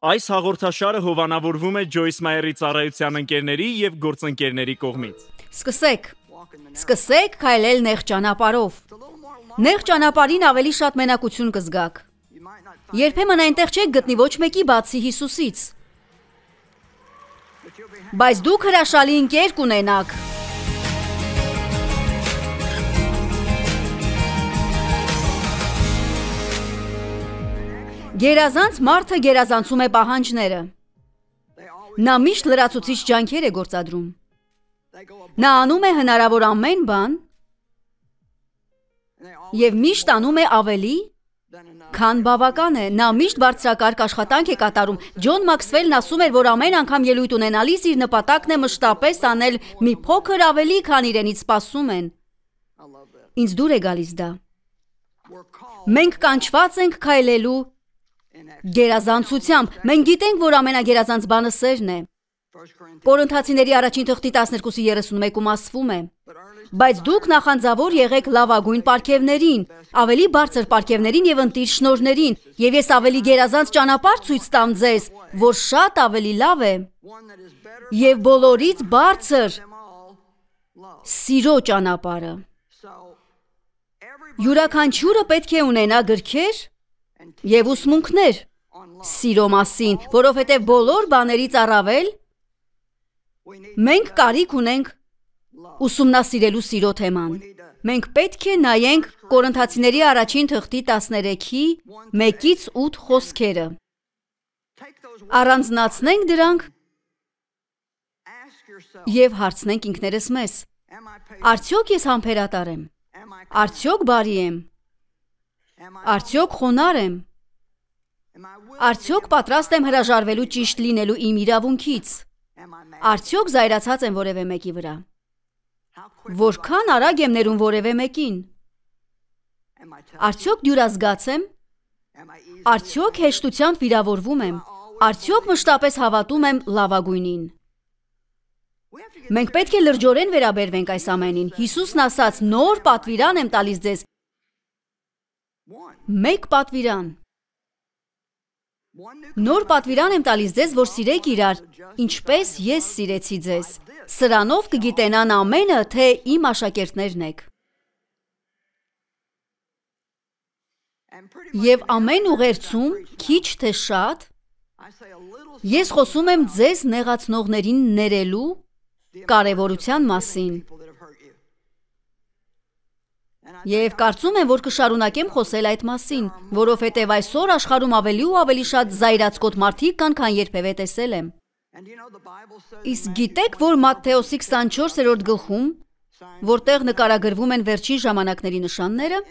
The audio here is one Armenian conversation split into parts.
Այս հաղորդաշարը հովանավորվում է Ջոյս Մայերի ծառայության ընկերների եւ գործընկերների կողմից։ Սկսեք քայլել նեղ ճանապարհով։ Նեղ ճանապարհին ավելի շատ մենակություն կզգաք։ Երբեմն այնտեղ չեք գտնի ոչ մեկի բացի Հիսուսից։ Բայց դուք հրաշալի ընկեր կունենաք։ Գերազանց մարդը գերազանցում է պահանջները։ Նա միշտ լրացուցիչ ջանքեր է գործադրում։ Նա անում է հնարավոր ամեն բան և միշտ անում է ավելի, քան բավական է։ Նա միշտ բարձրակարգ աշխատանք է կատարում։ Ջոն Մաքսվելն ասում էր, որ ամեն անգամ ելույթ ունենալիս իր նպատակն է մշտապես անել մի փոքր ավելի, քան իրենից սպասում են։ Ինձ դուր է գալիս դա։ Մենք կանչված ենք քայլելու գերազանցությամբ։ Մենք գիտենք, որ ամենագերազանց բանը սերն է։ Կորինթացիների առաջին թղթի 12:31-ում ասվում է. բայց դուք նախանձավոր եղեք լավագույն պարգևներին, ավելի բարձր պարգևներին և ընտիր շնորհներին, և ես ավելի գերազանց ճանապարհ ցույց տամ ձեզ, որ շատ ավելի լավ է և բոլորից բարձր սիրո ճանապարհը։ Յուրաքանչյուրը պետք է ունենա գրքեր և ուսմունքներ սիրո մասին, որովհետև բոլոր բաներից առավել մենք կարիք ունենք ուսումնասիրելու սիրո թեման։ Մենք պետք է նայենք Կորինթացիների առաջին թղթի 13:1-8 խոսքերը։ Առանձնացնենք դրանք և հարցնենք ինքներս մեզ. արդյոք ես համբերատար եմ, արդյոք բարի եմ, արդյոք խոնարհ եմ, արդյոք պատրաստ եմ հրաժարվելու ճիշտ լինելու իմ իրավունքից, արդյոք զայրացած եմ որևէ մեկի վրա, որքան արագ եմ ներում որևէ մեկին, արդյոք դյուրազգաց եմ, արդյոք հեշտությամբ վիրավորվում եմ, արդյոք մշտապես հավատում եմ լավագույնին։ Մենք պետք է լրջորեն վերաբերվենք այս ամենին։ Հիսուսն ասաց. նոր պատվիրան եմ տալիս ձեզ, մեկ պատվիրան։ Նոր պատվիրան եմ տալիս ձեզ, որ սիրեք իրար, ինչպես ես սիրեցի ձեզ։ Սրանով կգիտենան ամենը, թե իմ աշակերտներն եք։ Եվ ամեն ուղերձում, քիչ թե շատ, ես խոսում եմ ձեզ նեղացնողներին ներելու կարևորության մասին։ Եվ կարծում եմ, որ կշարունակեմ խոսել այդ մասին, որովհետև այսօր աշխարհում ավելի ու ավելի շատ զայրացկոտ մարդիկ կան, քան երբևէ տեսել եմ։ Իսկ գիտեք, որ Մատթեոսի 24-րդ գլխում, որտեղ նկարագրվում են վերջին ժամանակների նշանները,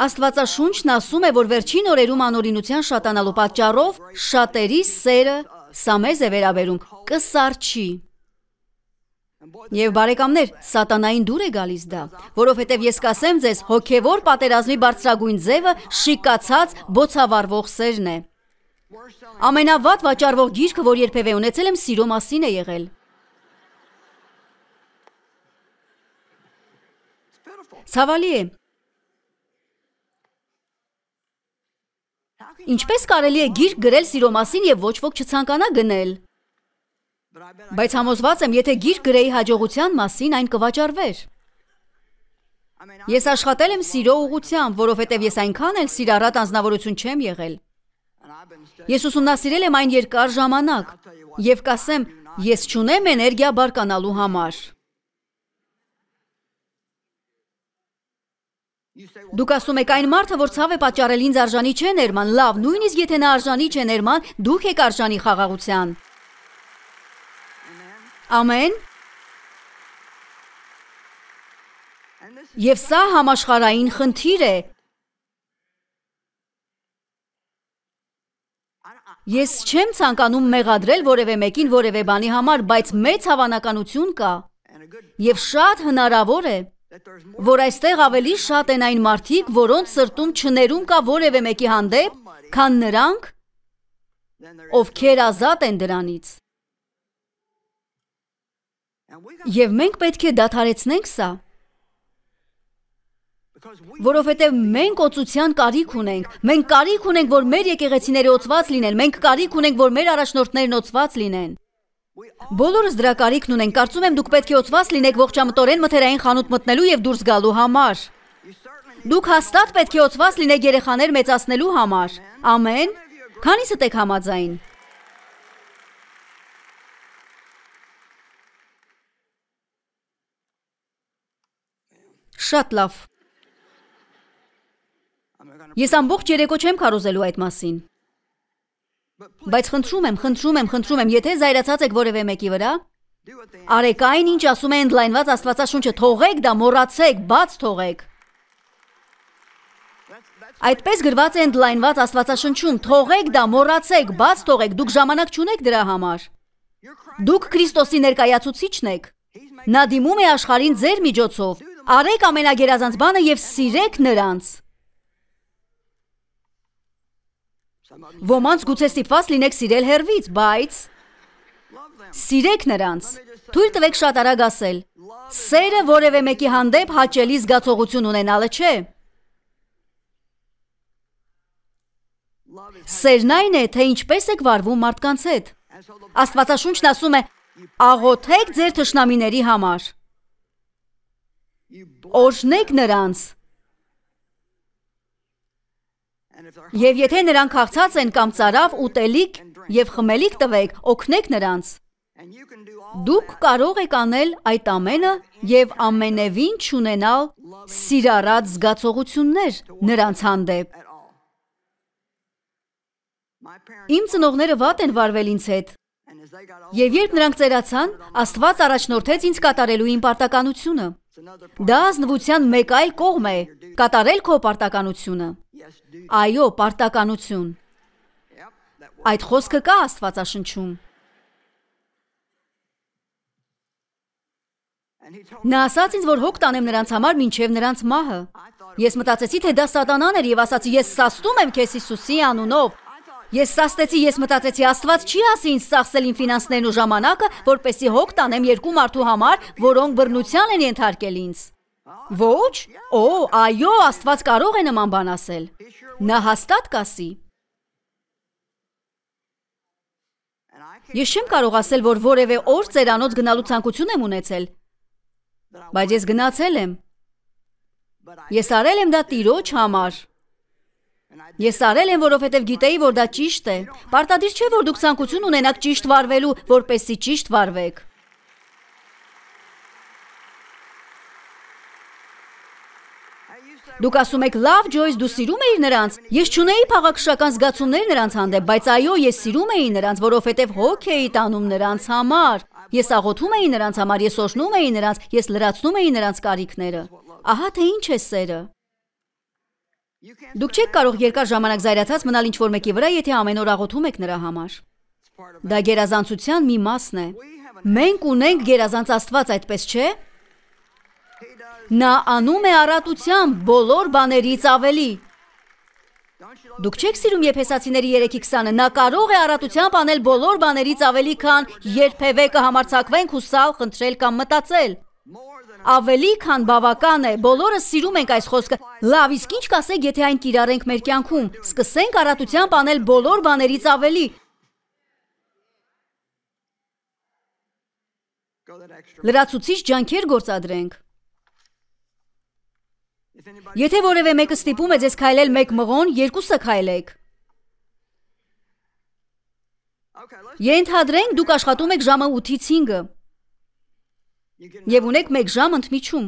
Աստվածաշունչն ասում է, որ վերջին օրերում անօրինության շատանալու պատճառով շատերի սերը, սա մեզ է վերաբերում, կսառչի։ Եվ բարեկամներ, սատանային դուր է գալիս դա, որովհետև ես կասեմ ձեզ, հոգևոր պատերազմի բարձրագույն ձևը շիկացած բոցավառվող սերն է։ Ամենավատ վաճառվող գիրքը, որ երբևէ ունեցել եմ, սիրո մասին է եղել։ Ցավալի է։ Ինչպես կարելի է գիրք գրել սիրո մասին և ոչ ոք չցանկանա գնել։ Բայց համոզված եմ, եթե գիրք գրեի հաջողության մասին, այն կվաճառվեր։ Ես աշխատել եմ սիրո ուղղությամբ, որովհետև ես այնքան էլ սիրառատ անձնավորություն չեմ եղել։ Ես ուսումնասիրել եմ այն երկար ժամանակ և կասեմ, ես չունեմ էներգիա բարկանալու համար։ Դուք ասում եք, այն մարդը, որ ցավ է պատճառել, ինձ արժանի չէ ներման, լավ, նույնիսկ եթե նա արժանի չէ ներման, դուք եք արժանի խաղաղության։ Ամեն։ Եվ սա համաշխարհային խնդիր է։ Ես չեմ ցանկանում մեղադրել որևէ մեկին որևէ բանի համար, բայց մեծ հավանականություն կա և շատ հնարավոր է, որ այստեղ ավելի շատ են այն մարդիկ, որոնց սրտում չներում կա որևէ մեկի հանդեպ, քան նրանք, ովքեր ազատ են դրանից։ Եվ մենք պետք է դադարեցնենք սա, Որովհետև մենք օծության կարիք ունենք, մենք կարիք ունենք, որ մեր եկեղեցիները օծված լինեն, մենք կարիք ունենք, որ մեր առաջնորդներն օծված լինեն։ Բոլորս դրա կարիքն ունենք, կարծում եմ դուք պետք է օծված լինեք ողջամտորեն մթերային խանութ մտնելու և դուրս գալու համար։ Դուք հաստատ պետք է օծված լինեք երեխաներ մեծացնելու համար։ Ամեն։ Քանիսդ եք համաձայն։ Շատ լավ։ Ես ամբողջ երեկո չեմ քարոզելու այդ մասին։ Բայց խնդրում եմ, եթե զայրացած եք որևէ մեկի վրա, արեք այն, ինչ ասում է ընդլայնված Աստվածաշունչը, թողեք դա, մոռացեք, բաց թողեք։ Այդպես գրված է ընդլայնված Աստվածաշնչում, թողեք դա, մոռացեք, բաց թողեք, դուք ժամանակ չունեք դրա համար։ Դուք Քրիստոսի ներկայացուցիչն եք։ Նա դիմում է աշխարհին ձեր միջոցով։ Արեք ամենագերազանց բանը և սիրեք նրանց։ Ոմանց գուցե ստիպված լինեք սիրել հեռվից, բայց սիրեք նրանց։ Թույլ տվեք շատ արագ ասել։ Սերը որևէ մեկի հանդեպ հաճելի զգացողություն ունենալը չէ։ Սերն այն է, թե ինչպես եք վարվում մարդկանց հետ։ Աստվածաշունչն ասում է. աղոթեք ձեր թշնամիների համար։ Օրհնեք նրանց։ Եվ եթե նրանք քաղցած են կամ ծարավ, ուտելիք և խմելիք տվեք, օգնեք նրանց։ Դուք կարող եք անել այդ ամենը և ամենևին չունենալ սիրառատ զգացողություններ նրանց հանդեպ։ Իմ ծնողները վատ են վարվել ինձ հետ, և երբ նրանք ծերացան, Աստված առաջնորդեց ինձ կատարելու իմ պարտականությունը։ Դա ազնվության մեկ այլ կողմ է, կատարել քո պարտականությունը։ Այո, պարտականություն։ Այդ խոսքը կա Աստվածաշնչում։ Նա ասաց ինձ, որ հոգ տանեմ նրանց համար մինչև նրանց մահը։ Ես մտածեցի, թե դա սատանան էր և ասացի, ես սաստում եմ քեզ Հիսուսի անունով։ Ես սաստեցի, ես մտածեցի, Աստված չի ասի ինձ ծախսել իմ ֆինանսներն ու ժամանակը, որպեսզի հոգ տանեմ երկու մարդու համար, որոնք բռնության են ենթարկել ինձ։ Ոչ, այո, Աստված կարող է նման բան ասել։ Նա հաստատ կասի։ Ես չեմ կարող ասել, որ որևէ օր ծերանոց գնալու ցանկություն եմ ունեցել, բայց ես գնացել եմ։ Ես արել եմ դա Տիրոջ համար։ Ես արել եմ, որովհետև գիտեի, որ դա ճիշտ է։ Պարտադիր չէ, որ դուք ցանկություն ունենաք ճիշտ վարվելու, որպեսզի ճիշտ վարվեք։ Դուք ասում եք, լավ, Ջոյս, դու սիրում էիր նրանց։ Ես չունեի փաղաքշական զգացումներ նրանց հանդեպ, բայց այո, ես սիրում էի նրանց, որովհետև հոգ էի տանում նրանց համար։ Ես աղոթում էի նրանց համար, ես օրհնում էի նրանց, ես լրացնում էի նրանց կարիքները։ Ահա թե ինչ է սերը։ Դուք չեք կարող երկար ժամանակ զայրացած մնալ ինչ-որ մեկի վրա, եթե ամեն օր աղոթում եք նրա համար։ Դա գերազանցության մի մասն է։ Մենք ունենք գերազանց Աստված, այդպես չէ։ Նա անում է առատությամբ բոլոր բաներից ավելի։ Դուք չեք սիրում Եփեսացիների 3:20-ը, նա կարող է առատությամբ անել բոլոր բաներից ավելի, քան երբևէ կհամարձակվենք հուսալ, խնդրել կամ մտածել։ Ավելի քան բավական է, բոլորս սիրում ենք այս խոսքը։ Լավ, իսկ ինչ կասեք, եթե այն կիրառենք մեր կյանքում։ Սկսենք առատությամբ անել բոլոր բաներից ավելի։ Լրացուցիչ ջանքեր գործադրենք։ Եթե որևէ մեկը ստիպում է ձեզ քայլել 1 մղոն, 2-ը քայլեք։ Ենթադրենք դուք աշխատում եք ժամը 8-ից 5-ը։ Եվ ունեք 1 ժամ ընդմիջում։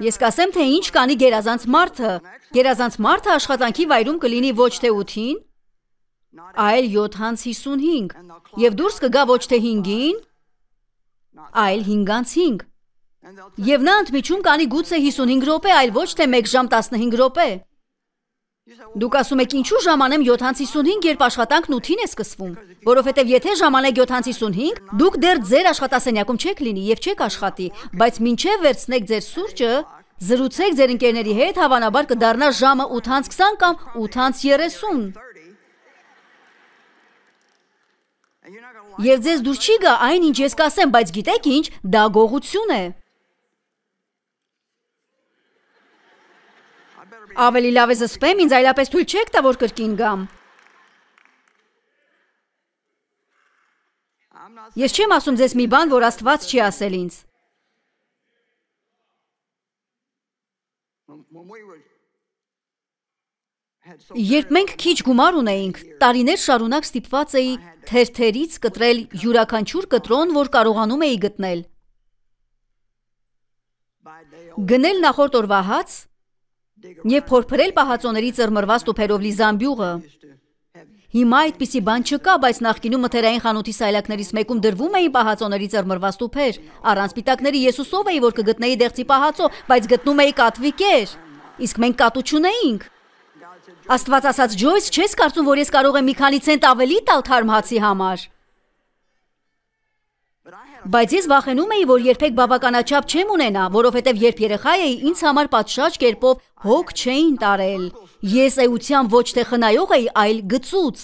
Ես կասեմ, թե ինչ կանի գերազանց մարդը։ Գերազանց մարդը աշխատանքի վայրում կլինի ոչ թե 8-ին, այլ 7:55, և դուրս կգա ոչ թե 5-ին, այլ 5:05։ Եվ նա ընդմիջում կանի գուցե 55 րոպե, այլ ոչ թե 1 ժամ 15 րոպե։ Դուք ասում եք, ինչու ժամանեմ 7:55, երբ աշխատանքն 8-ին է սկսվում։ Որովհետև եթե ժամանեք 7:55, դուք դեռ ձեր աշխատասենյակում չեք լինի և չեք աշխատի, բայց մինչև վերցնեք ձեր սուրճը, զրուցեք ձեր ընկերների հետ, հավանաբար կդառնա ժամը 8:20 կամ 8:30։ Եվ ձեզ դուր չի գա այն, ինչ ես կասեմ, բայց գիտեք ինչ, դա գողություն է։ Ավելի լավ է զսպեմ, ինձ այլապես թույլ չեք տա, որ կրկին գամ։ Ես չեմ ասում ձեզ մի բան, որ Աստված չի ասել ինձ։ Երբ մենք քիչ գումար ունեինք, տարիներ շարունակ ստիպված էի թերթերից կտրել յուրաքանչյուր կտրոն, որ կարողանում էի գտնել։ Գնել նախորդ օրվա հաց և փորփրել պահածոների ծռմռված տուփերով լի զամբյուղը։ Հիմա այդպիսի բան չկա, բայց նախկինում մթերային խանութի սայլակներից մեկում դրվում էին պահածոների ծռմռված տուփեր։ Առանց սպիտակների ես հուսով էի, որ կգտնեի դեղցի պահածո, բայց գտնում էի կատվի կեր։ Իսկ մենք կատու չունեինք։ Աստված ասաց, Ջոյս, չես կարծում, որ ես կարող եմ մի քանի ցենտ ավելի տալ թարմ հացի համար։ Բայց ես վախենում էի, որ երբեք բավականաչափ չեմ ունենա, որովհետև երբ երեխա էի, ինձ համար պատշաճ կերպով հոգ չէին տարել։ Ես էության ոչ թե խնայող էի, այլ գծուծ։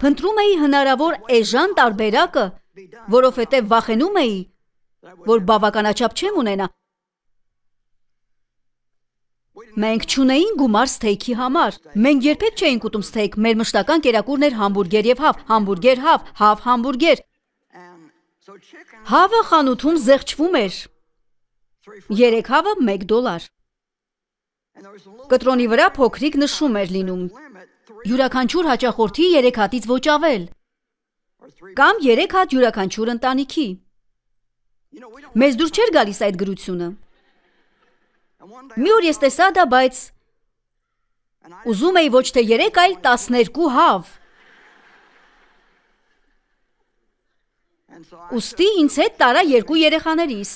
Փնտրում էի հնարավոր էժան տարբերակը, որովհետև վախենում էի, որ բավականաչափ չեմ ունենա։ Մենք չունեին գումար սթեյքի համար։ Մենք երբեք չէինք ուտում սթեյք, մեր մշտական կերակուրն էր համբուրգեր և հավ, համբուրգեր, հավ, համբուրգեր։ Հավը խանութում զեղչվում էր։ 3 հավը $1։ Կտրոնի վրա փոքրիկ նշում էր լինում։ Յուրաքանչյուր հաճախորդի 3 հատից ոչ ավել։ Կամ 3 հատ յուրաքանչյուր ընտանիքի։ Մեզ դուր չէր գալիս այդ գրությունը։ Մի օր ես տեսա դա, բայց ուզում էի ոչ թե 3, այլ 12 հավ։ Ուստի ինձ հետ տարա 2 երեխաներիս։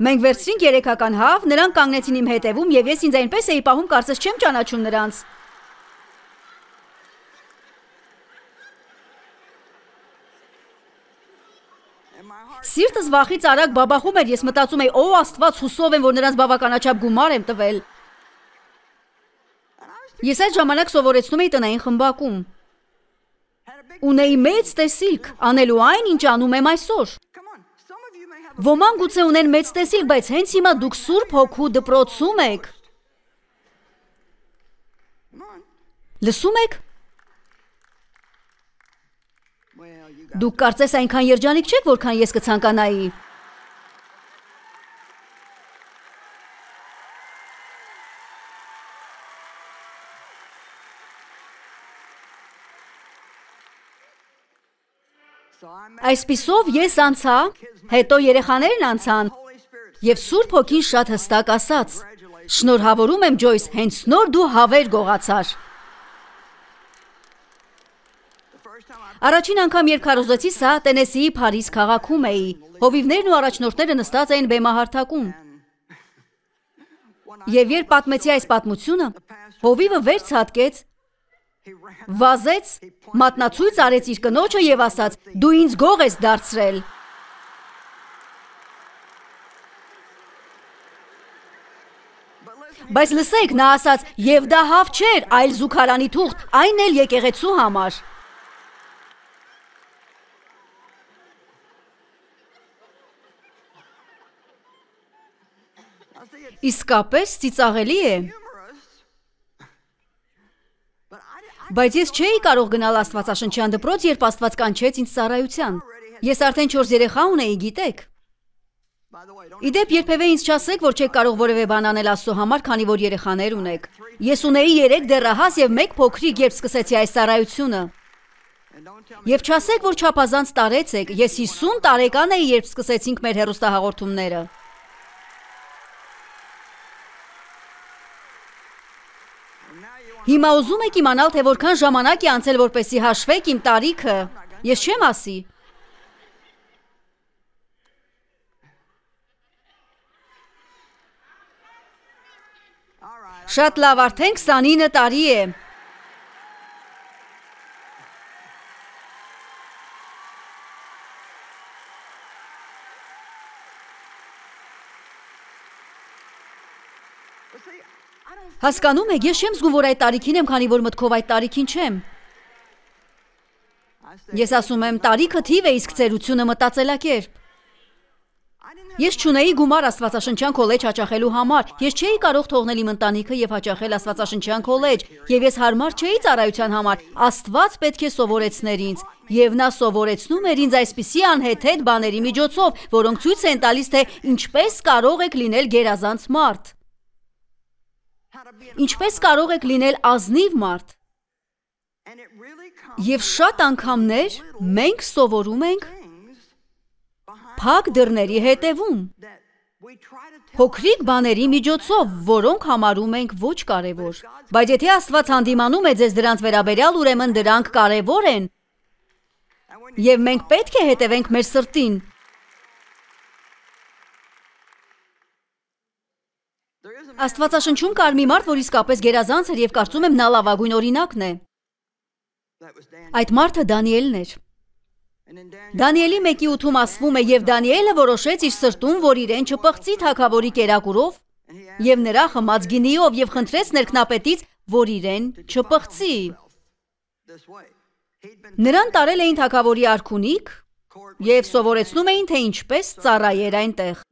Մենք վերցրինք 3-ական հավ, նրանք կանգնեցին իմ հետևում և ես ինձ այնպես էի պահում, կարծես չեմ ճանաչում նրանց։ Սիրտս վախից արագ բաբախում էր, ես մտածում էի, «Ո Աստված, հուսով եմ, որ նրանց բավականաչափ գումար եմ տվել»։ Ես այդ ժամանակ սովորեցնում էի տնային խմբակում։ Ունեի մեծ տեսիլք, անելու այն, ինչ անում եմ այսօր։ Ոմանք գուցե ունեն մեծ տեսիլք, բայց հենց հիմա դուք Սուրբ Հոգու դպրոցում եք։ Լսում եք։ Դուք կարծես այնքան երջանիկ չեք, որքան ես կցանկանայի։ Այսպիսով ես անցա, հետո երեխաներն անցան, և Սուրբ Հոգին շատ հստակ ասաց. «Շնորհավորում եմ, Ջոյս, հենց նոր դու հավեր գողացար»։ Առաջին անգամ, երբ քարոզեցի սա, Տենեսիի Փարիզ քաղաքում էի։ Հովիվներն ու առաջնորդները նստած էին բեմահարթակում։ Եվ երբ պատմեցի այս պատմությունը, հովիվը վեր ցատկեց, վազեց, մատնացույց արեց իր կնոջը և ասաց. «Դու ինձ գող ես դարձրել»։ Բայց լսեք, նա ասաց. «Եվ դա հավ չէր, այլ զուգարանի թուղթ, այն էլ եկեղեցու համար»։ Իսկապես ծիծաղելի է։ Բայց ես չէի կարող գնալ Աստվածաշնչյան դպրոց, երբ Աստված կանչեց ինձ ծառայության։ Ես արդեն 4 երեխա ունեի, գիտեք։ Իդեպ երբևէ ինձ չասեք, որ չեք կարող որևէ բան անել Աստծո համար, քանի որ երեխաներ ունեք։ Ես ունեի 3 դեռահաս և 1 փոքրիկ, երբ սկսեցի այս ծառայությունը։ Եվ չասեք, որ չափազանց տարեցեք, ես 50 տարեկան էի, երբ սկսեցինք մեր հեռուստահաղորդումները։ Հիմա ուզում եք իմանալ, թե որքան ժամանակ է անցել, որպեսզի հաշվեք իմ տարիքը։ Ես չեմ ասի։ Շատ լավ, արդեն 29 տարի է։ Հասկանում եք, ես չեմ զգում, որ այդ տարիքին եմ, քանի որ մտքով այդ տարիքին չեմ։ Ես ասում եմ, տարիքը թիվ է, իսկ ծերությունը մտածելակերպ։ Ես չունեի գումար Աստվածաշնչյան քոլեջ հաճախելու համար։ Ես չէի կարող թողնել իմ ընտանիքը եւ հաճախել Աստվածաշնչյան քոլեջ, եւ ես հարմար չէի ծառայության համար։ Աստված պետք է սովորեցներ ինձ, եւ նա սովորեցնում էր ինձ այսպիսի անհեթեթ բաների միջոցով, որոնք ցույց են տալիս, թե ինչպես կարող եք լինել գերազանց մարդ։ Ինչպես կարող եք լինել ազնիվ մարդ։ Եվ շատ անգամներ մենք սովորում ենք փակ դռների հետևում, փոքրիկ բաների միջոցով, որոնք համարում ենք ոչ կարևոր։ Բայց եթե Աստված հանդիմանում է ձեզ դրանց վերաբերյալ, ուրեմն դրանք կարևոր են, եւ մենք պետք է հետևենք մեր սրտին։ Աստվածաշնչում կար մի մարդ, որ իսկապես գերազանց էր, եւ կարծում եմ նա լավագույն օրինակն է։ Այդ մարդը Դանիելն էր։ Դանիելի 1:8-ում ասվում է, եւ Դանիելը որոշեց իր սրտում, որ իրեն չպղծի թագավորի կերակուրով եւ նրա խմած գինիով եւ խնդրեց ներքնապետից, որ իրեն չպղծի։ Նրան տարել էին թագավորի արքունիք եւ սովորեցնում էին, թե ինչպես ծառայեր այնտեղ։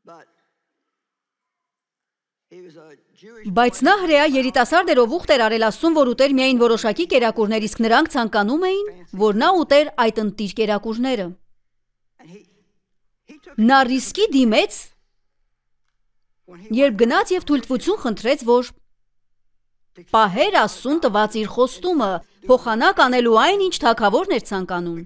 Բայց նա հրեա երիտասարդ էր, ով ուխտ էր արել Աստծուն, որ ուտեր միայն որոշակի կերակուրներ, իսկ նրանք ցանկանում էին, որ նա ուտեր այդ ընտիր կերակուրները։ Նա ռիսկի դիմեց, երբ գնաց եւ թույլտվություն խնդրեց, որ պահեր Աստծուն տված իր խոստումը, փոխանակ անելու այն, ինչ թագավորն էր ցանկանում։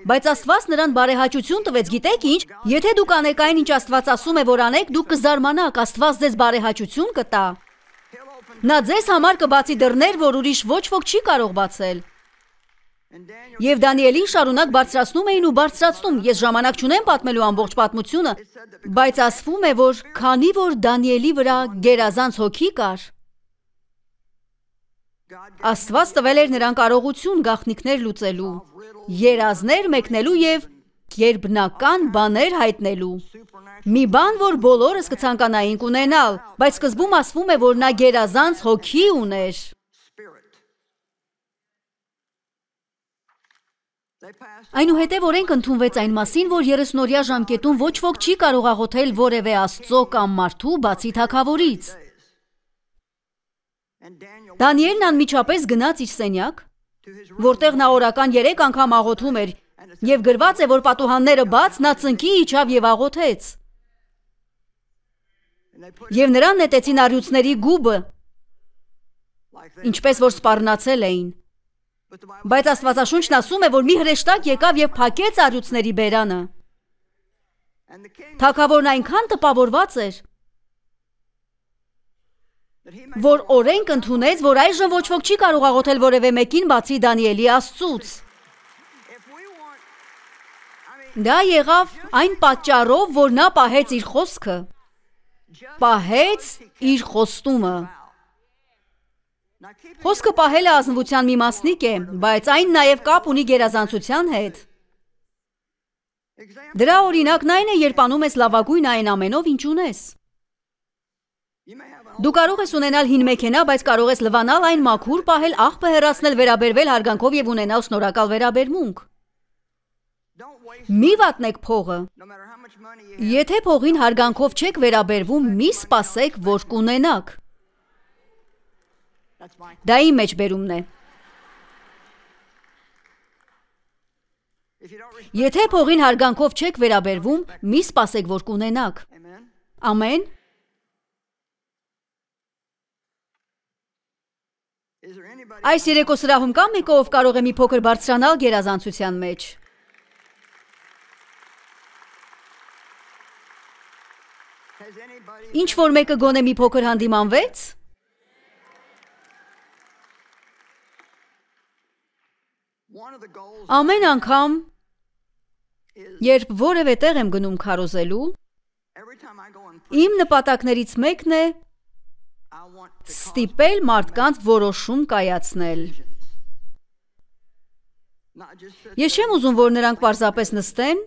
Բայց Աստված նրան բարեհաճություն տվեց, գիտեք ինչ, եթե դուք անեք այն, ինչ Աստված ասում է, որ անեք, դուք կզարմանաք, Աստված ձեզ բարեհաճություն կտա։ Նա ձեզ համար կբացի դռներ, որ ուրիշ ոչ ոք չի կարող բացել։ Եվ Դանիելին շարունակ բարձրացնում էին ու բարձրացնում։ Ես ժամանակ չունեմ պատմելու ամբողջ պատմությունը, բայց ասվում է, որ քանի որ Դանիելի վրա գերազանց հոգի կար, Աստված տվել էր նրան կարողություն գաղտնիքներ լուծելու, երազներ մեկնելու եւ գերբնական բաներ հայտնելու։ Մի բան, որ բոլորս կցանկանայինք ունենալ, բայց սկզբում ասվում է, որ նա գերազանց հոգի ուներ։ Այնուհետև օրենք ընդունվեց այն մասին, որ 30-օրյա ժամկետում ոչ ոք չի կարող աղոթել որևէ Աստծո կամ մարդու բացի թագավորից։ Դանիելն անմիջապես գնաց իր սենյակ, որտեղ նա օրական 3 անգամ աղոթում էր, եւ գրված է, որ պատուհանները բաց, նա ծնկի իջավ եւ աղոթեց։ Եվ նրան նետեցին առյուծների գուբը, ինչպես որ սպառնացել էին։ Բայց Աստվածաշունչն ասում է, որ մի հրեշտակ եկավ եւ փակեց առյուծների բերանը։ Թագավորն այնքան տպավորված էր, որ օրենք ընդունեց, որ այժմ ոչ ոք չի կարող աղոթել որևէ մեկին բացի Դանիելի Աստծուց։ Դա եղավ այն պատճառով, որ նա պահեց իր խոսքը, պահեց իր խոստումը։ Խոսքը պահելը ազնվության մի մասնիկ է, բայց այն նաև կապ ունի գերազանցության հետ։ Դրա օրինակն այն է, երբ անում ես լավագույն այն ամենով, ինչ ունես։ Դու կարող ես ունենալ հին մեքենա, բայց կարող ես լվանալ այն մաքուր, պահել, աղբը հեռացնել, վերաբերվել հարգանքով եւ ունենալ շնորհակալ վերաբերմունք։ Մի վատնեք փողը։ Եթե փողին հարգանքով չեք վերաբերվում, մի սպասեք, որ կունենաք։ Դա իմ մեջբերումն է։ Եթե փողին հարգանքով չեք վերաբերվում, մի սպասեք, որ կունենաք։ Ամեն։ Այս երեկո սրահում կա մեկը, ով կարող է մի փոքր բարձրանալ գերազանցության մեջ։ Ինչ որ մեկը գոնե մի փոքր հանդիմանվեց։ Ամեն անգամ, երբ որևէ տեղ եմ գնում քարոզելու, իմ նպատակներից մեկն է ստիպել մարդկանց որոշում կայացնել։ Ես չեմ ուզում, որ նրանք պարզապես նստեն,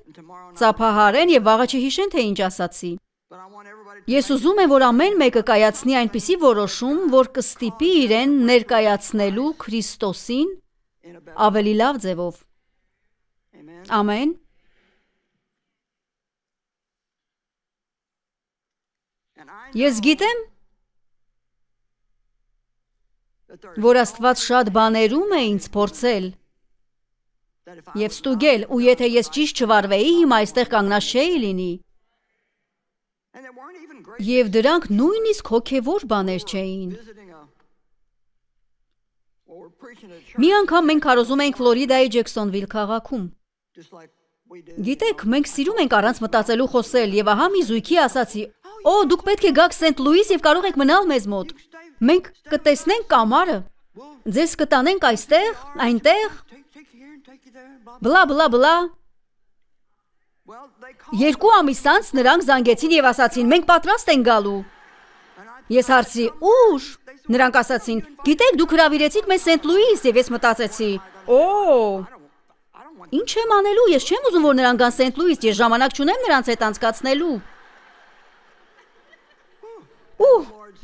ծափահարեն եւ վաղը չհիշեն, թե ինչ ասացի։ Ես ուզում եմ, որ ամեն մեկը կայացնի այնպիսի որոշում, որ կստիպի իրեն ներկայացնելու Քրիստոսին ավելի լավ ձևով։ Ամեն։ Ես գիտեմ, որ Աստված շատ բաներում է ինձ փորձել եւ ստուգել, ու եթե ես ճիշտ չվարվեի, հիմա այստեղ կանգնած չէի լինի։ Եվ դրանք նույնիսկ հոգևոր բաներ չէին։ Մի անգամ մենք քարոզում էինք Ֆլորիդայի Ջեքսոնվիլ քաղաքում։ Գիտեք, մենք սիրում ենք առանց մտածելու խոսել, եւ ահա մի զույգի ասացի. «Օ, դուք պետք է գաք Սենթ Լուիս եւ կարող եք մնալ մեզ մոտ։ Մենք կտեսնենք կամարը։ Ձեզ կտանենք այստեղ, այնտեղ»։ Բլա բլա բլա։ 2 ամիս անց նրանք զանգեցին եւ ասացին. «Մենք պատրաստ ենք գալու»։ Ես հարցրի. «Ուր»։ Նրանք ասացին. «Գիտեք, դուք հրավիրեցիք մեզ Սենթ Լուիս», եւ ես մտածեցի. «Օ, ինչ եմ անելու, ես չեմ ուզում, որ նրանք գան Սենթ Լուիս, ես ժամանակ չունեմ նրանց հետ անցկացնելու»։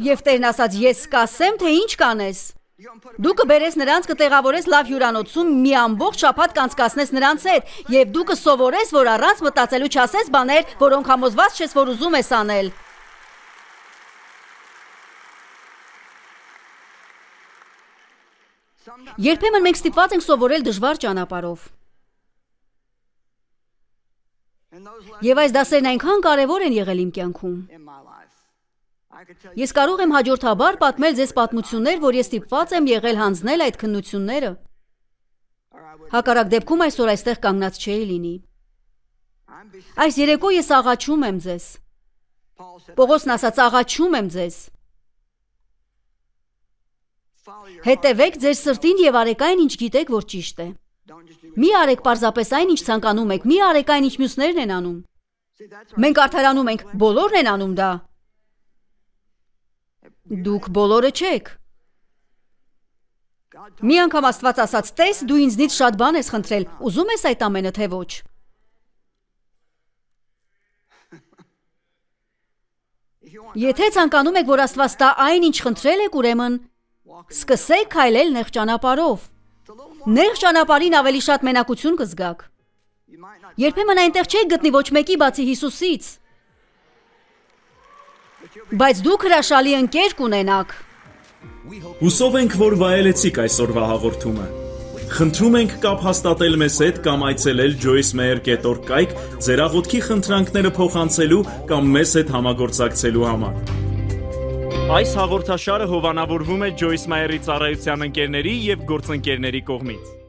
Եվ Տերն ասաց. «Ես կասեմ, թե ինչ կանես։ Դու կբերես նրանց, կտեղավորես լավ հյուրանոցում, մի ամբողջ շաբաթ կանցկացնես նրանց հետ, եւ դու կսովորես, որ առանց մտածելու չասես բաներ, որոնք համոզված չես, որ ուզում ես անել»։ Երբեմն մենք ստիպված ենք սովորել դժվար ճանապարհով։ Եվ այս դասերն այնքան կարևոր են եղել իմ կյանքում։ Ես կարող եմ հաջորդաբար պատմել ձեզ պատմություններ, որ ես ստիպված եմ եղել հանձնել այդ քննությունները։ Հակառակ դեպքում այսօր այստեղ կանգնած չէի լինի։ Այս երեկո ես աղաչում եմ ձեզ։ Պողոսն ասաց. «Աղաչում եմ ձեզ։ Հետևեք ձեր սրտին եւ արեք այն, ինչ գիտեք, որ ճիշտ է։ Մի արեք պարզապես այն, ինչ ցանկանում եք, մի արեք այն, ինչ մյուսներն են անում։ Մենք արդարանում ենք, բոլորն են անում դա։ Դուք բոլորը չեք։ Մի անգամ Աստված ասաց. «Տես, դու ինձնից շատ բան ես խնդրել, ուզում ես այդ ամենը, թե ոչ»։ Եթե ցանկանում եք, որ Աստված տա այն, ինչ խնդրել եք, ուրեմն սկսեք քայլել նեղ ճանապարհով։ Նեղ ճանապարհին ավելի շատ մենակություն կզգաք։ Երբեմն այնտեղ չեք գտնի ոչ մեկի բացի Հիսուսից։ Բայց դուք հրաշալի ընկեր կունենաք։ Հուսով ենք, որ վայելեցիք այսօրվա հաղորդումը։ Խնդրում ենք կապ հաստատել մեզ հետ կամ այցելել joycemeyer.org կայք ձեր աղոթքի խնդրանքները փոխանցելու կամ մեզ հետ համագործակցելու համար։ Այս հաղորդաշարը հովանավորվում է Joyce Meyer-ի ծառայության ընկերների եւ գործընկերների կողմից։